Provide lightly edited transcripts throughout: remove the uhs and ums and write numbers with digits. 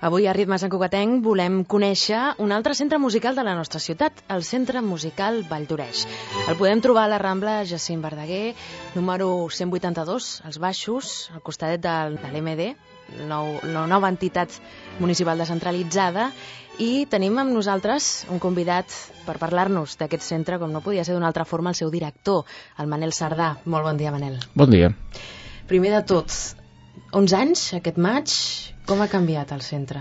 Avui a Ritmes en Cugatenc volem conèixer un altre centre musical de la nostra ciutat, el Centre Musical Vall d'Oreix. El podem trobar a la Rambla Jacint Verdaguer, número 182, als baixos, al costadet de l'MD, la nova entitat municipal descentralitzada, i tenim amb nosaltres un convidat per parlar-nos d'aquest centre, com no podia ser d'una altra forma, el seu director, el Manel Sardà. Molt bon dia, Manel. Bon dia. Primer de tot, 11 anys, aquest maig, com ha canviat el centre?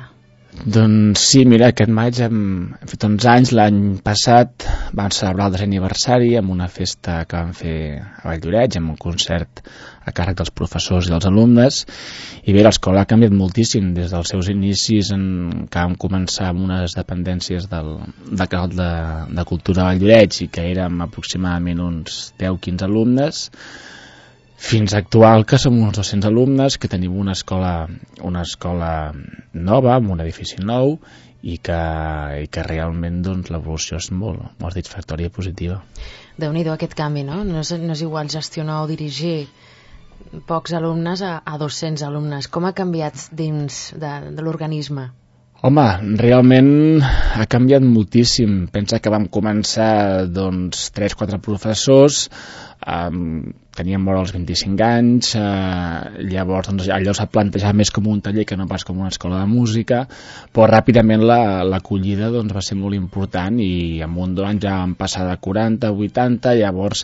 Doncs sí, mira, aquest maig hem fet 11 anys. L'any passat vam celebrar el 10è aniversari amb una festa que vam fer a Vall d'Oreix, amb un concert a càrrec dels professors i dels alumnes. I bé, l'escola ha canviat moltíssim des dels seus inicis, que vam començar amb unes dependències del Canal de Cultura de Vall d'Oreix, i que érem aproximadament uns 10-15 alumnes, fins a actual, que som uns 200 alumnes, que tenim una escola nova, amb un edifici nou, i que realment doncs, l'evolució és molt satisfactòria i positiva. Déu-n'hi-do aquest canvi, no? No és igual gestionar o dirigir pocs alumnes a 200 alumnes. Com ha canviat dins de l'organisme? Home, realment ha canviat moltíssim. Pensa que vam començar 3-4 professors, teníem vora els 25 anys, llavors allò s'ha plantejat més com un taller que no pas com una escola de música, però ràpidament l'acollida va ser molt important, i en un 2 anys ja vam passar de 40 a 80, llavors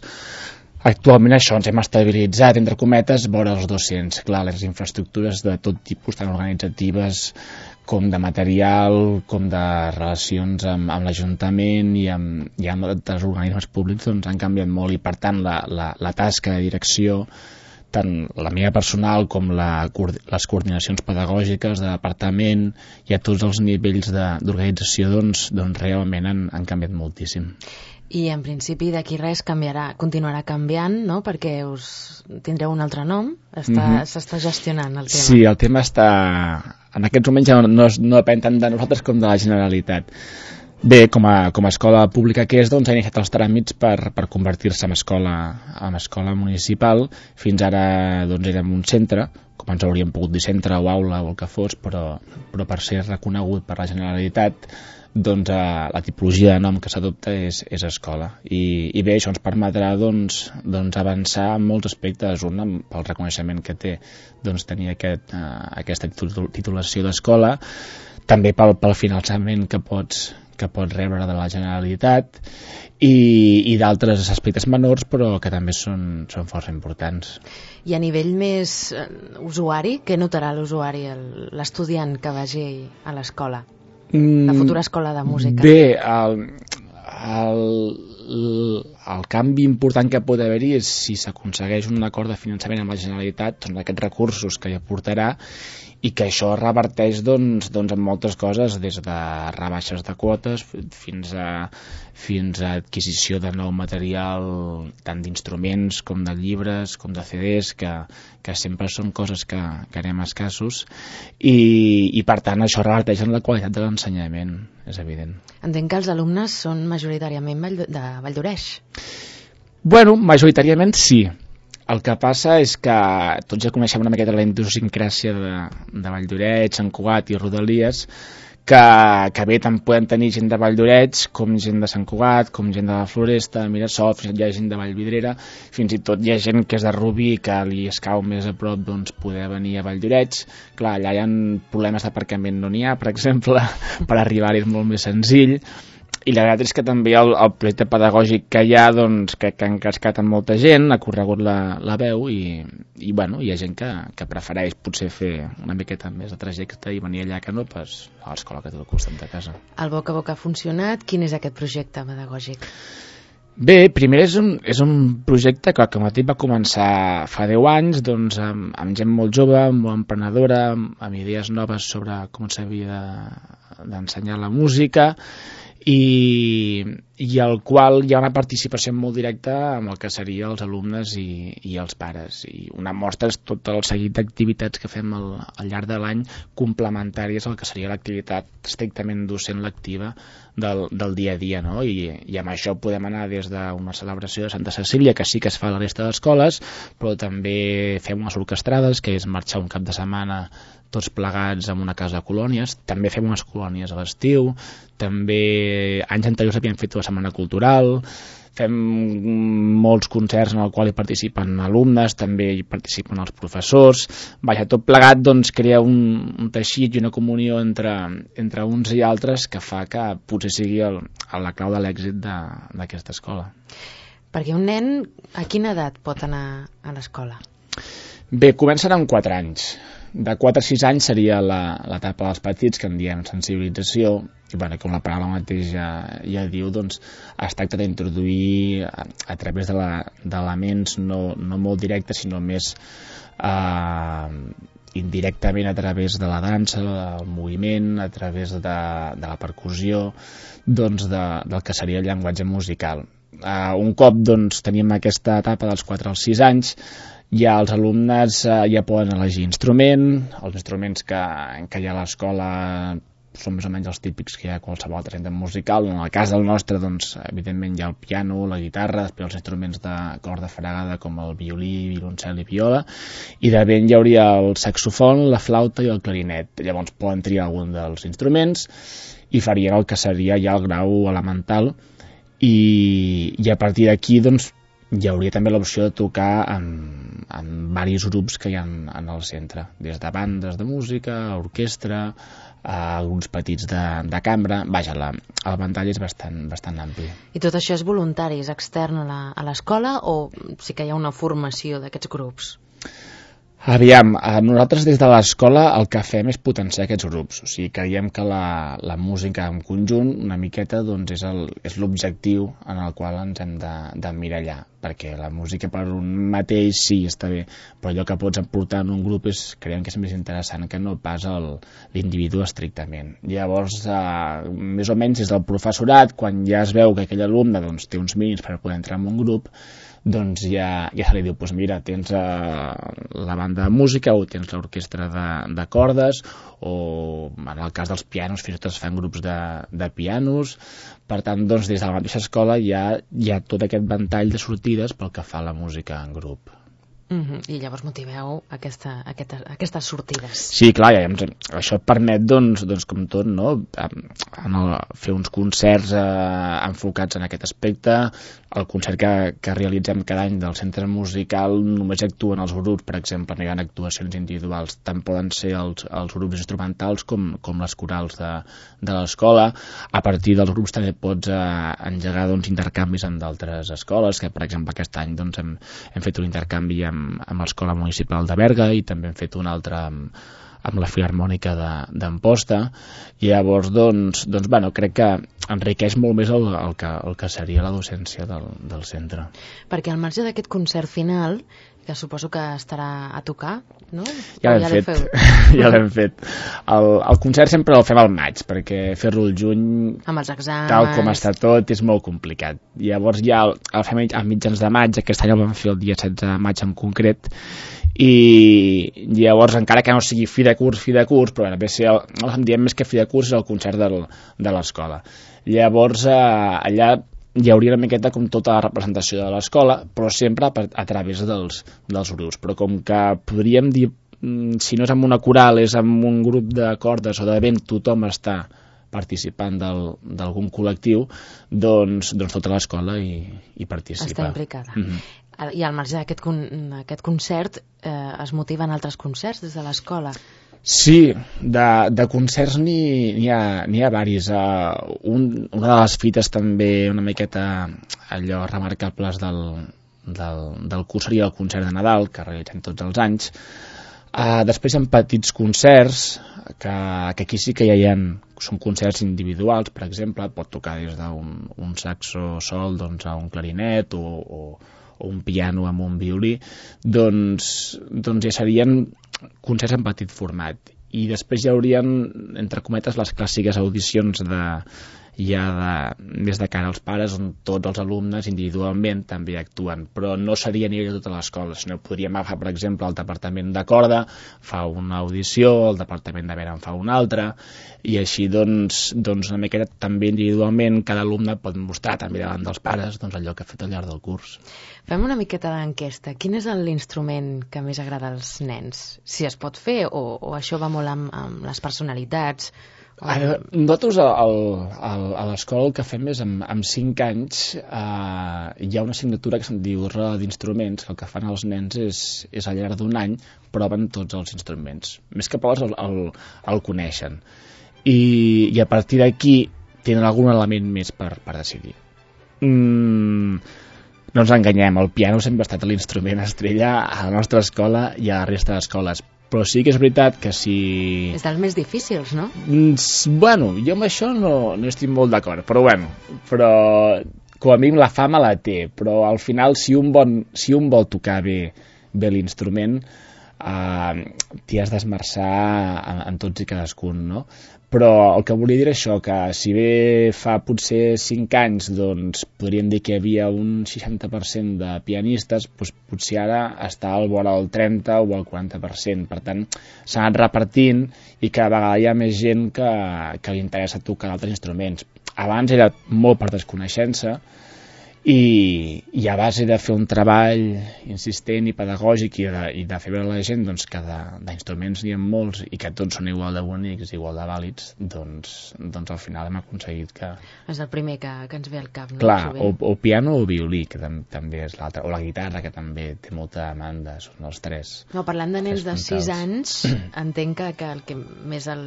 actualment això ens hem estabilitzat, entre cometes, vora els 200. Clar, les infraestructures de tot tipus, tant organitzatives com de material, com de relacions amb l'Ajuntament i amb altres organismes públics, han canviat molt, i per tant la tasca de direcció, tant la meva personal com les coordinacions pedagògiques de departament i a tots els nivells d'organització realment han canviat moltíssim. I en principi d'aquí res continuarà canviant, no? Perquè us tindreu un altre nom, s'està gestionant el tema. Sí, el tema està... En aquests moments ja no depèn tant de nosaltres com de la Generalitat. Bé, com a escola pública que és, ha iniciat els tràmits per convertir-se en escola municipal. Fins ara érem un centre, com ens hauríem pogut dir centre o aula o el que fos, però per ser reconegut per la Generalitat, la tipologia de nom que s'adopta és escola. I bé, això ens permetrà avançar en molts aspectes. Un, pel reconeixement que té tenir aquesta titulació d'escola, també pel finançament que pots rebre de la Generalitat, i d'altres aspectes menors, però que també són força importants. I a nivell més usuari, què notarà l'usuari, l'estudiant que vagi a l'escola? La futura escola de música. Bé, el canvi important que pot haver-hi és si s'aconsegueix un acord de finançament amb la Generalitat, aquests recursos que hi aportarà, i que això reverteix en moltes coses, des de rebaixes de quotes fins a adquisició de nou material, tant d'instruments com de llibres, com de CDs, que sempre són coses que anem escassos, i per tant això reverteix en la qualitat de l'ensenyament, és evident. Entenc que els alumnes són majoritàriament de Vall d'Oreix. Bueno, majoritàriament sí. El que passa és que tots ja coneixem una miqueta la idiosincràsia de Vall d'Oreix, Sant Cugat i Rodalies, que bé, tant poden tenir gent de Vall d'Oreix com gent de Sant Cugat, com gent de la Floresta, de Mirasol, fins i tot hi ha gent de Vallvidrera, fins i tot hi ha gent que és de Rubí, que li escau més a prop poder venir a Vall d'Oreix. Clar, allà hi ha problemes d'aparcament, no n'hi ha, per exemple, per arribar-hi és molt més senzill. I la veritat és que també el projecte pedagògic que hi ha, que ha encascat amb molta gent, ha corregut la veu, i bueno, hi ha gent que prefereix potser fer una miqueta més de trajecte i venir allà que no pas a l'escola que té al costat de casa. El boca a boca ha funcionat. Quin és aquest projecte pedagògic? Bé, primer és un projecte que com a dit va començar fa 10 anys, amb gent molt jove, molt emprenedora, amb idees noves sobre com s'havia d'ensenyar la música, i i al qual hi ha una participació molt directa amb el que serien els alumnes i els pares. I una mostra és tot el seguit d'activitats que fem al llarg de l'any complementàries al que seria l'activitat estrictament docent lectiva del dia a dia, no? I amb això podem anar des d'una celebració de Santa Cecília, que sí que es fa a la resta d'escoles, però també fem unes orquestrades, que és marxar un cap de setmana tots plegats en una casa de colònies. També fem unes colònies a l'estiu, també anys anteriors havíem fet una setmana cultural, fem molts concerts en el qual hi participen alumnes, també hi participen els professors. Vaja, tot plegat doncs crea un teixit i una comunió entre uns i altres que fa que potser sigui la clau de l'èxit d'aquesta escola. Perquè un nen a quina edat pot anar a l'escola? Bé, comencen amb 4 anys. De 4 a 6 anys seria l'etapa dels petits, que en diem sensibilització, i bueno, com la paraula mateix ja diu, doncs es tracta d'introduir a través d'elements no molt directes, sinó més indirectament a través de la dansa, del moviment, a través de la percussió, doncs del que seria el llenguatge musical. Un cop doncs tenim aquesta etapa dels 4 als 6 anys, ja els alumnes ja poden elegir instrument. Els instruments que hi ha a l'escola són més o menys els típics que hi ha a qualsevol altre centre musical. En el cas del nostre, doncs, evidentment hi ha el piano, la guitarra, després els instruments de corda fregada com el violí, violoncel i viola, i de vent hi hauria el saxofon, la flauta i el clarinet. Llavors poden triar algun dels instruments i farien el que seria ja el grau elemental, i a partir d'aquí doncs hi hauria també l'opció de tocar en diversos grups que hi ha en el centre, des de bandes de música, orquestra, grups petits de cambra. Vaja, el ventall és bastant ampli. I tot això és voluntari, és extern a l'escola, o sí que hi ha una formació d'aquests grups? Aviam, nosaltres des de l'escola el que fem és potenciar aquests grups. O sigui, creiem que la música en conjunt una miqueta doncs, és l'objectiu en el qual ens hem d'emmirallar, perquè la música per un mateix sí, està bé, però allò que pots aportar en un grup creiem que és més interessant que no pas l'individu estrictament. Llavors, més o menys des del professorat, quan ja es veu que aquell alumne doncs, té uns mínims per poder entrar en un grup, doncs ja se li diu, doncs mira, tens la banda de música o tens l'orquestra de cordes, o en el cas dels pianos fins i tot es fan grups de pianos. Per tant, doncs, des de la mateixa escola hi ha tot aquest ventall de sortides pel que fa a la música en grup. I llavors motiveu aquestes sortides. Sí, clar, això et permet, doncs com tot, no? Fer uns concerts enfocats en aquest aspecte. El concert que realitzem cada any del centre musical només actuen els grups, per exemple, no hi ha actuacions individuals, tant poden ser els grups instrumentals com les corals de l'escola. A partir dels grups també pots engegar intercanvis amb d'altres escoles, que per exemple aquest any hem fet un intercanvi amb l'escola municipal de Berga, i també hem fet un altre amb la Filharmònica d'Amposta. I llavors bueno, crec que enriqueix molt més el que seria la docència del centre. Perquè al marge d'aquest concert final, que suposo que estarà a tocar, no? Ja l'hem fet. Ja l'hem fet. El concert sempre el fem al maig, perquè fer-lo al juny, amb els exàmens, tal com està tot, és molt complicat. Llavors ja el fem a mitjans de maig, aquest any el vam fer el dia 16 de maig en concret, i llavors encara que no sigui fi de curs, però el diem més que fi de curs és el concert de l'escola. Llavors allà hi hauria una miqueta com tota la representació de l'escola, però sempre a través dels grups. Però com que podríem dir, si no és amb una coral, és amb un grup de cordes o de vent, tothom està participant d'algun col·lectiu, doncs tota l'escola hi participa. Està implicada. I al marge d'aquest concert es motiven altres concerts des de l'escola? Sí, de concerts n'hi ha diversos. Una de les fites també una miqueta allò remarcables del curs seria el concert de Nadal, que realitzem tots els anys. Després hi ha petits concerts que aquí sí que ja són concerts individuals. Per exemple, pot tocar des d'un saxo sol a un clarinet o un piano amb un violí. Doncs ja serien concerts en petit format. I després hi haurien, entre cometes, les clàssiques audicions des de cara als pares, on tots els alumnes individualment també actuen, però no seria a nivell de tota l'escola, sinó podríem agafar, per exemple, el departament de corda fa una audició, el departament de vena en fa una altra, i així doncs una miqueta també individualment cada alumne pot mostrar també davant dels pares allò que ha fet al llarg del curs. Fem una miqueta d'enquesta. Quin és l'instrument que més agrada als nens? Si es pot fer o això va molt amb les personalitats? Nosaltres a l'escola el que fem és amb 5 anys hi ha una assignatura que se'n diu roda d'instruments, que el que fan els nens és al llarg d'un any proven tots els instruments, més que proves el coneixen i a partir d'aquí tenen algun element més per decidir. No ens enganyem, el piano sempre ha estat l'instrument estrella a la nostra escola i a la resta d'escoles, però sí que és veritat que si... És dels més difícils, no? Bueno, jo amb això no estic molt d'acord, però com a mínim la fama la té, però al final si un vol tocar bé l'instrument t'hi has d'esmerçar en tots i cadascun, no? Però el que volia dir això, que si bé fa potser 5 anys doncs podríem dir que hi havia un 60% de pianistes, doncs potser ara està al vora del 30 o el 40%, per tant s'ha anat repartint i cada vegada hi ha més gent que li interessa tocar altres instruments. Abans era molt per desconeixença i a base de fer un treball insistent i pedagògic i de fer veure a la gent doncs, que d'instruments n'hi ha molts i que tots són igual de bonics, igual de vàlids, doncs al final hem aconseguit que... És el primer que ens ve al cap, no? Clar, o piano o violí, que també és l'altre, o la guitarra, que també té molta demanda, són els tres. No, parlant de nens de 6 anys, entenc que el que més el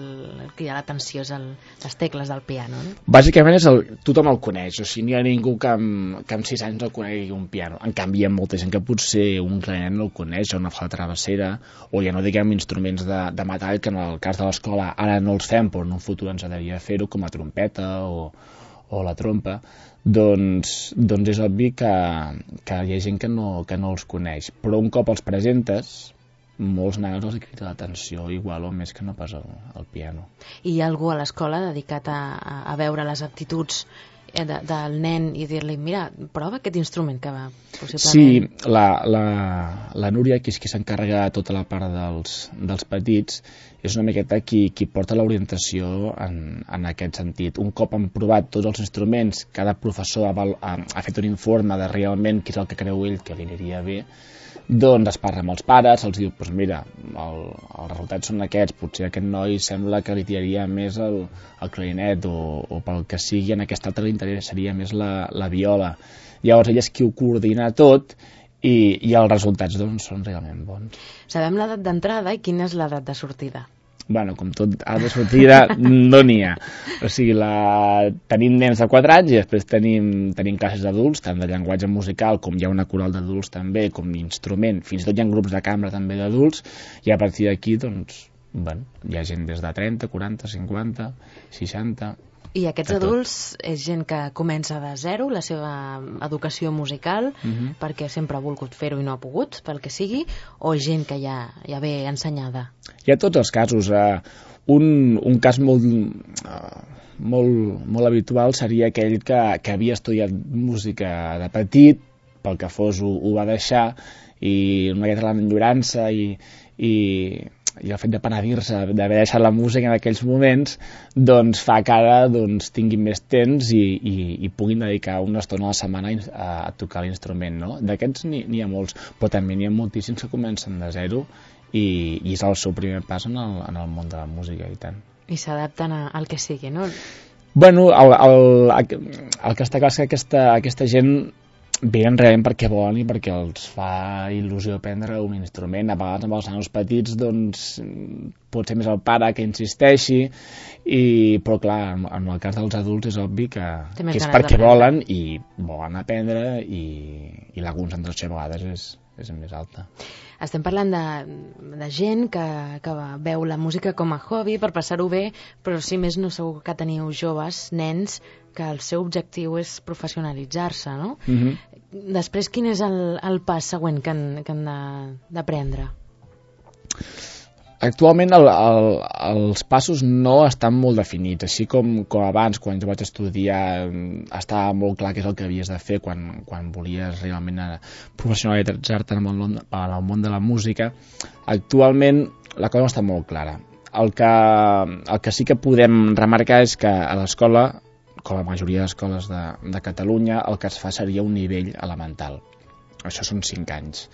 crida l'atenció és les tecles del piano, no? Bàsicament tothom el coneix, o sigui, n'hi ha ningú que amb 6 anys no conegui un piano. En canvi, hi ha molta gent que potser un clarinet no el coneix, o una flauta travessera, o ja no diguem instruments de metall, que en el cas de l'escola ara no els fem, però en un futur ens agradaria fer-ho, com la trompeta o la trompa. Doncs és obvi que hi ha gent que no els coneix. Però un cop els presentes, molts nanos els crida l'atenció igual o més que no pas el piano. I hi ha algú a l'escola dedicat a veure les aptituds del nen i dir-li, mira, prova aquest instrument que va possiblement... Sí, la Núria, que és qui s'encarrega de tota la part dels petits, és una miqueta qui porta l'orientació en aquest sentit. Un cop han provat tots els instruments, cada professor ha fet un informe de realment què és el que creu ell que li aniria bé, doncs es parla amb els pares, els diu, doncs mira, els resultats són aquests, potser aquest noi sembla que li tiraria més el clarinet o pel que sigui, en aquest altre li interessaria més la viola. Llavors ell és qui ho coordina tot i els resultats doncs són realment bons. Sabem l'edat d'entrada i quina és l'edat de sortida? Bueno, com tot, ara de sortida no n'hi ha. O sigui, tenim nens de 4 anys i després tenim classes d'adults, tant de llenguatge musical com hi ha una coral d'adults també, com instrument, fins i tot hi ha grups de cambra també d'adults, i a partir d'aquí, doncs, bueno, hi ha gent des de 30, 40, 50, 60... I aquests adults és gent que comença de zero la seva educació musical perquè sempre ha volgut fer-ho i no ha pogut, pel que sigui, o gent que ja ve ensenyada? Hi ha tots els casos. Un cas molt habitual seria aquell que havia estudiat música de petit, pel que fos ho va deixar, i una miqueta l'enyorança i el fet de penedir-se d'haver deixat la música en aquells moments doncs fa que ara tinguin més temps i puguin dedicar una estona a la setmana a tocar l'instrument, no? D'aquests n'hi ha molts, però també n'hi ha moltíssims que comencen de zero i és el seu primer pas en el món de la música, i tant. I s'adapten al que sigui, no? Bueno, el que està clar és que aquesta gent venen realment perquè volen i perquè els fa il·lusió aprendre un instrument. A vegades amb els nanos petits doncs pot ser més el pare que insisteixi, però clar, en el cas dels adults és obvi que és perquè volen i volen aprendre i la concentració a vegades és més alta. Estem parlant de gent que veu la música com a hobby per passar-ho bé, però si més no segur que teniu joves, nens, que el seu objectiu és professionalitzar-se, no? Després, quin és el pas següent que han de prendre? Actualment els passos no estan molt definits, així com abans, quan jo vaig estudiar, estava molt clar què és el que havies de fer quan volies realment professionalitzar-te en el món de la música. Actualment la cosa no està molt clara. El que sí que podem remarcar és que a l'escola, com la majoria d'escoles de Catalunya, el que es fa seria un nivell elemental. Això són 5 anys.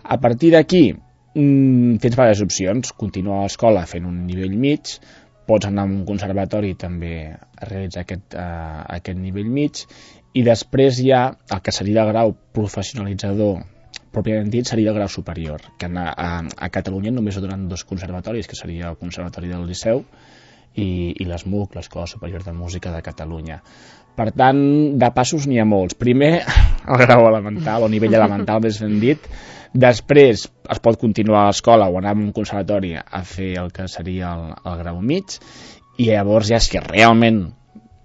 A partir d'aquí, tens diverses opcions. Continuar a l'escola fent un nivell mig, pots anar a un conservatori i també realitzar aquest nivell mig, i després hi ha el que seria el grau professionalitzador pròpiament dit, seria el grau superior, que a Catalunya només ho donen 2 conservatoris, que seria el Conservatori del Liceu i l'ESMUC, l'Escola Superior de Música de Catalunya. Per tant, de passos n'hi ha molts. Primer, el grau elemental, o nivell elemental, més ben dit. Després es pot continuar a l'escola o anar a un conservatori a fer el que seria el grau mig, i llavors ja si realment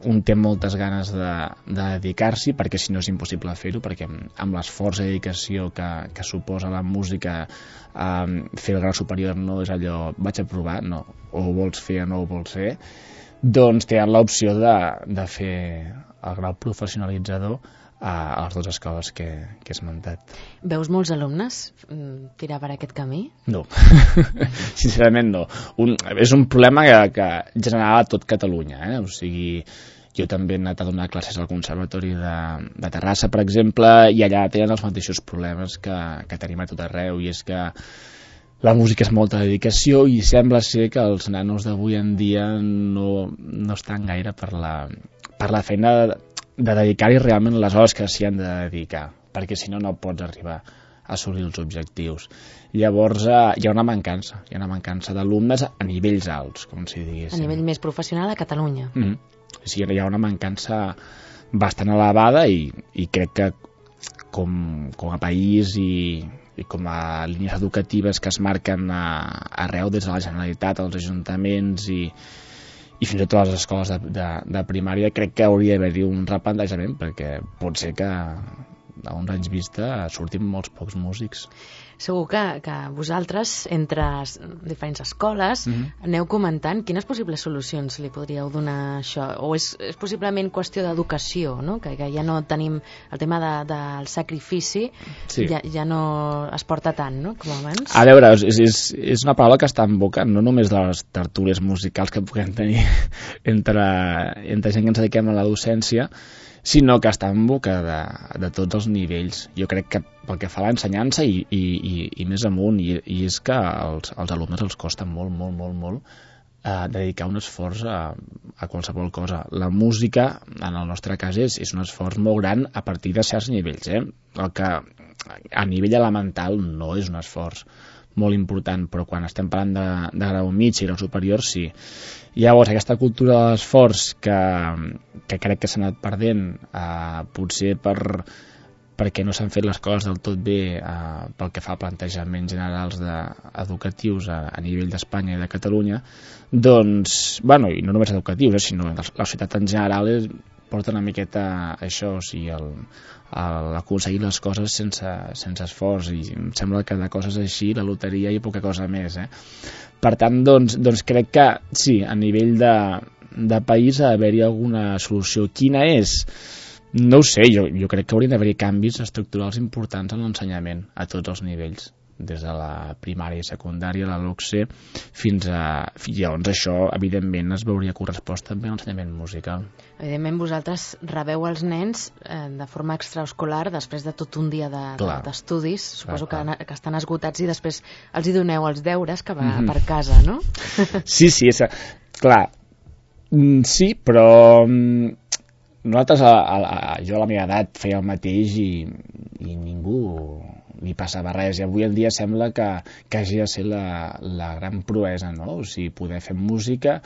un té moltes ganes de dedicar-s'hi, perquè si no és impossible fer-ho, perquè amb l'esforç i dedicació que suposa la música, fer el grau superior no és allò vaig a provar, no, o ho vols fer o no ho vols fer, doncs tenen l'opció de fer el grau professionalitzador a les 2 escoles que he esmentat. Veus molts alumnes tirar per aquest camí? No, sincerament no. És un problema que general a tot Catalunya, o sigui, jo també he anat a donar classes al Conservatori de Terrassa, per exemple, i allà tenen els mateixos problemes que tenim a tot arreu, i és que la música és molta dedicació i sembla ser que els nanos d'avui en dia no estan gaire per la feina de dedicar-hi realment les hores que s'hi han de dedicar, perquè si no pots arribar a assolir els objectius. Llavors hi ha una mancança d'alumnes a nivells alts, com si diguéssim. A nivell més professional a Catalunya. Sí, hi ha una mancança bastant elevada i crec que com a país i com a línies educatives que es marquen arreu des de la Generalitat, als ajuntaments i fins i tot a les escoles de primària, crec que hauria d'haver-hi un replantejament, perquè pot ser que a uns anys vista surtin molts pocs músics. Segur que vosaltres, entre diferents escoles, aneu comentant quines possibles solucions li podríeu donar a això, o és possiblement qüestió d'educació, no? Que ja no tenim el tema del sacrifici, sí. Ja no es porta tant, no?, com abans. A veure, és una paraula que està en boca no només de les tertúlies musicals que puguem tenir entre gent que ens dediquem a la docència, sinó que està en boca de tots els nivells. Jo crec que pel que fa a l'ensenyança i més amunt, i és que als alumnes els costa molt dedicar un esforç a qualsevol cosa. La música, en el nostre cas, és un esforç molt gran a partir de certs nivells. El que a nivell elemental no és un esforç molt important, però quan estem parlant de grau mig i grau superior, sí. Llavors, aquesta cultura de l'esforç que crec que s'ha anat perdent, potser perquè no s'han fet les coses del tot bé pel que fa a plantejaments generals educatius a nivell d'Espanya i de Catalunya, doncs, bueno, i no només educatius, sinó la societat en general porta una miqueta això, o sigui, aconseguir les coses sense esforç, i em sembla que de coses així la loteria i poca cosa més. Per tant, doncs crec que sí, a nivell de país ha d'haver-hi alguna solució. Quina és? No ho sé, jo crec que haurien d'haver-hi canvis estructurals importants en l'ensenyament a tots els nivells, des de la primària i secundària, la LOCSE, fins llavors això, evidentment, es veuria correspost també a l'ensenyament musical. Evidentment, vosaltres rebeu els nens de forma extraescolar després de tot un dia d'estudis. Suposo que estan esgotats, i després els hi doneu els deures que va per casa, no? Sí, clar. Sí, però nosaltres, jo a la meva edat feia el mateix i ningú li passava res, i avui en dia sembla que hagi de ser la gran proesa, no? O sigui, poder fer música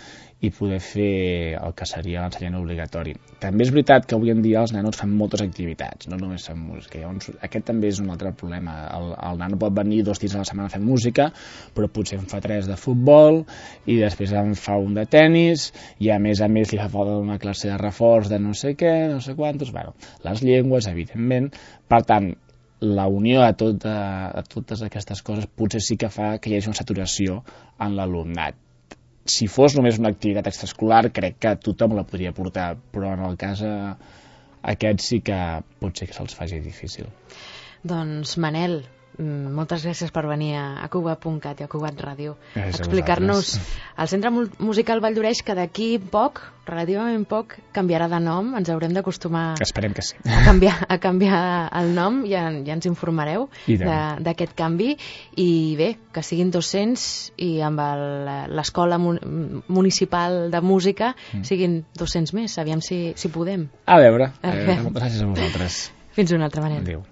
i poder fer el que seria l'ensenyament obligatori. També és veritat que avui en dia els nanos fan moltes activitats, no només fan música. Llavors, aquest també és un altre problema. El nano pot venir 2 dies a la setmana a fer música, però potser en fa 3 de futbol, i després en fa un de tennis, i a més li fa falta una classe de reforç de no sé què, no sé quantos, bueno, les llengües, evidentment. Per tant, la unió de totes aquestes coses potser sí que fa que hi hagi una saturació en l'alumnat. Si fos només una activitat extraescolar, crec que tothom la podria portar, però en el cas aquest sí que pot ser que se'ls faci difícil. Doncs Manel, moltes gràcies per venir a Cugat.cat i a Cugat Ràdio a explicar-nos el Centre Musical Vall d'Oreix, que d'aquí poc, relativament poc, canviarà de nom. Ens haurem d'acostumar, esperem que sí, a canviar el nom. Ja ens informareu d'aquest canvi. I bé, que siguin 200 i amb l'Escola Municipal de Música siguin 200 més. Aviam si podem. A veure. Moltes gràcies a vosaltres. Fins una altra, Manel. Adéu.